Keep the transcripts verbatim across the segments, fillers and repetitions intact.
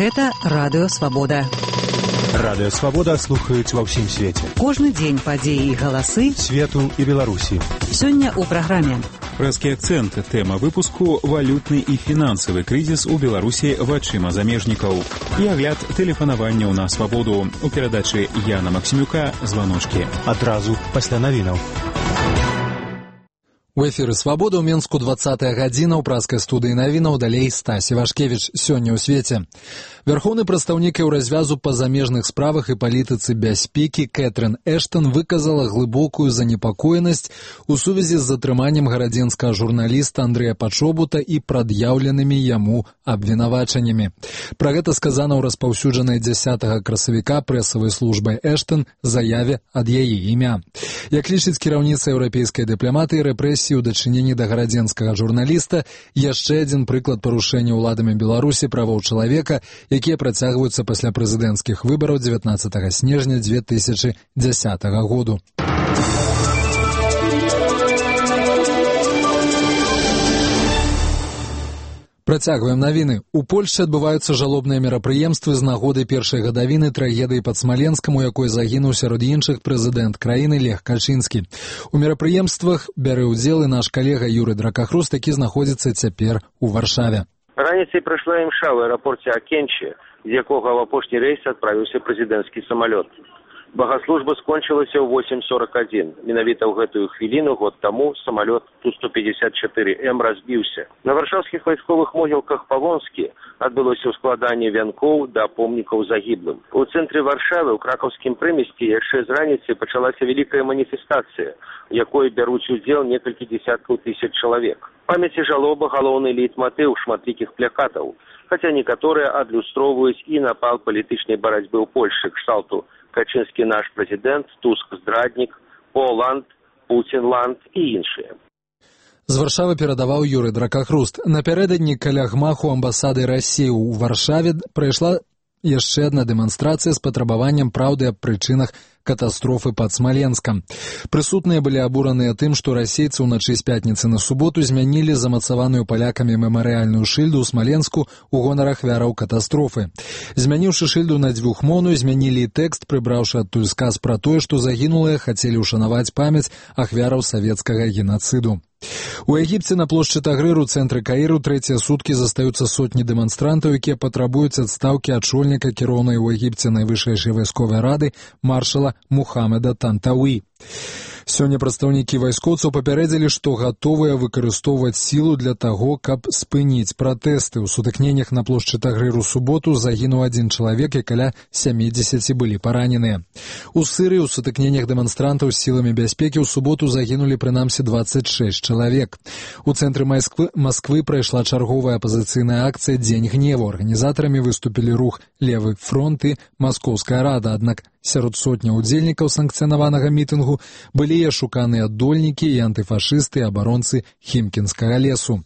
Гэта Радыё Свабода. Радыё Свабода слухаюць ва ўсім свеце. Кожны дзень падзеі і галасы свету і Беларусі. Сёння ў праграме. Прэскі акцэнт. Тэма выпуску валютны і фінансавы крызіс у Беларусі вачыма замежнікаў. І агляд тэлефанавання на Свабоду. У перадачы Яна Максімюка «Званочкі». Адразу пасля навінаў. У эфіры «Свабода» ў Менску двадцатая гадзіна, ў праскай студыі навінаў, далей Стась Івашкевіч. Сёння ў свеце. Вярхоўны прадстаўнік Еўразвязу па замежных справах і палітыцы бяспекі Кэтрын Эштон выказала глыбокую занепакоенасць у сувязі з затрыманнем гарадзенскага журналіста Андрэя Пачобута і прад'яўленымі яму абвінавачаннямі. Пра гэта сказана ў распаўсюджанай дзясятага красавіка прэсавай службай Эштон заяве ад яе імя. Як лічыць кіраўніца еўрапейскай дыпламатыі, рэпрэсіі ў дачыненні да гарадзенскага журналіста яшчэ адзін прыклад парушэння ўладамі Беларусі правоў чалавека, якія працягваюцца пасля прэзідэнцкіх выбараў дзевятнаццатага снежня дзве тысячы дзясятага году. Працягваем навіны. У Польшчы адбываюцца жалобныя мерапрыемствы з нагоды першай гадавіны трагедыі пад Смаленскам, у якой загінуў сярод іншых прэзідэнт краіны Лех Качынскі. У мерапрыемствах бярэ ўдзел і наш калега Юрый Дракахруст, які знаходзіцца цяпер у Варшаве. Раніцай прайшла імша ў аэрапорце Акенчі, з якога ў апошні рэйс адправіўся прэзідэнцкі самалёт. Багаслужба скончылася ў восем сорок адзін. Менавіта ў гэтую хвіліну год таму самалёт Ту сто пятьдесят четыре М разбіўся. На варшаўскіх вайсковых могілках па-вонскі адбылося ўскладанне вянкоў да помнікаў загіблым. У цэнтры Варшавы ў кракаўскім прымесці яшчэ з раніцы пачалася вялікая маніфестацыя, у якой бяруць удзел некалькі дзесяткаў тысяч чалавек. Памяць і жалоба галоўны лейтматыў шматлікіх плакатаў, хаця некаторыя адлюстроўваюць і напал палітычнай барацьбы ў Польшчы кшталту Качынскі наш прэзідэнт, Туск здраднік, Поланд, Пуцінланд і іншыя. З Варшавы перадаваў Юрый Дракахруст. Напярэдадні каля гмаху амбасады Расіі ў Варшаве прайшла яшчэ адна дэманстрацыя з патрабаваннем праўды аб прычынах катастрофы пад Смаленскам. Прысутныя былі абураныя тым, што расейцы ўначы з пятніцы на суботу змянілі замацаваную палякамі мемарыяльную шыльду ў Смаленску ў гонар ахвяраў катастрофы. Змяніўшы шыльду на дзвюхмоўную, змянілі і тэкст, прыбраўшы адтуль сказ пра тое, што загінулыя хацелі ўшанаваць памяць ахвяраў савецкага генацыду. У Егіпце на плошчы Тагрыр у цэнтры Каіру трэція суткі застаюцца сотні дэманстрантаў, якія патрабуюць адстаўкі ачольніка кіроўнай у Егіпце найвышэйшай вайсковай рады маршала Мухаммеда Тантауі. Сёння прадстаўнікі вайскоўцаў папярэдзілі, што гатовыя выкарыстоўваць сілу для таго, каб спыніць пратэсты. У сутыкненнях на плошчы Тагрыр у суботу загінуў адзін чалавек і каля сямідзесяці былі параненыя. У Сырыі ў сутыкненнях дэманстрантаў з сіламі бяспекі ў суботу загінулі прынамсі дваццаць шэсць чалавек. У цэнтры Масквы, Масквы прайшла чарговая апазіцыйная акцыя «Дзень гневу». Арганізатарамі выступілі рух «Левы фронт» і Маскоўская рада, аднак сярод сотня удзельнікаў санкцыянаванага мітынгу былі і ашуканыя аддольнікі і антыфашысты і абаронцы Хімкінскага лесу.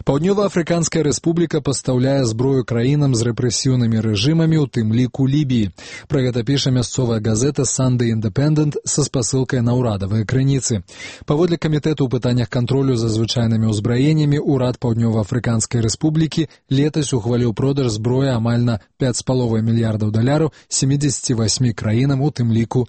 Паўднёва-Афрыканская рэспубліка пастаўляе зброю краінам з рэпрэсіўнымі рэжымамі, у тым ліку Лібіі. Пра гэта піша мясцовая газета Sunday Independent са спасылкай на ўрадавыя крыніцы. Паводле камітэту ў пытаннях кантролю за звычайнымі ўзбраеннямі, урад Паўднёва-Афрыканскай рэспублікі летась ухваліў продаж зброі амаль на пяць з паловай мільярдаў даляраў сямідзесяці васьмі краінам, у тым ліку